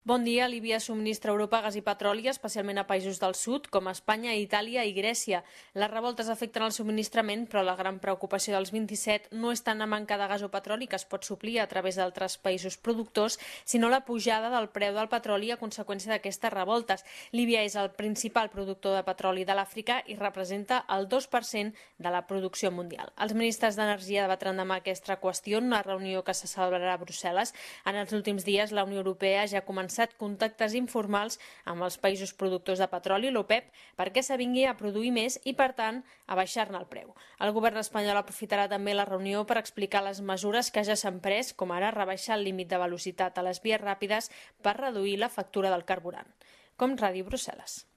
Bon dia. Líbia subministra a Europa gas i petroli, especialment a països del sud, com Espanya, Itàlia i Grècia. Les revoltes afecten el subministrament, però la gran preocupació dels 27 no és tant la manca de gas o petroli, que es pot suplir a través d'altres països productors, sinó la pujada del preu del petroli a conseqüència d'aquestes revoltes. Líbia és el principal productor de petroli de l'Àfrica i representa el 2% de la producció mundial. Els ministres d'Energia debatran demà aquesta qüestió en una reunió que se celebrarà a Brussel·les. En els últims dies, la Unió Europea ja ha començat contactes informals amb els països productors de petroli, l'OPEP, perquè s'avingui a produir més i, per tant, a baixar-ne el preu. El govern espanyol aprofitarà també la reunió per explicar les mesures que ja s'han pres, com ara rebaixar el límit de velocitat a les vies ràpides per reduir la factura del carburant. Com Ràdio Brussel·les.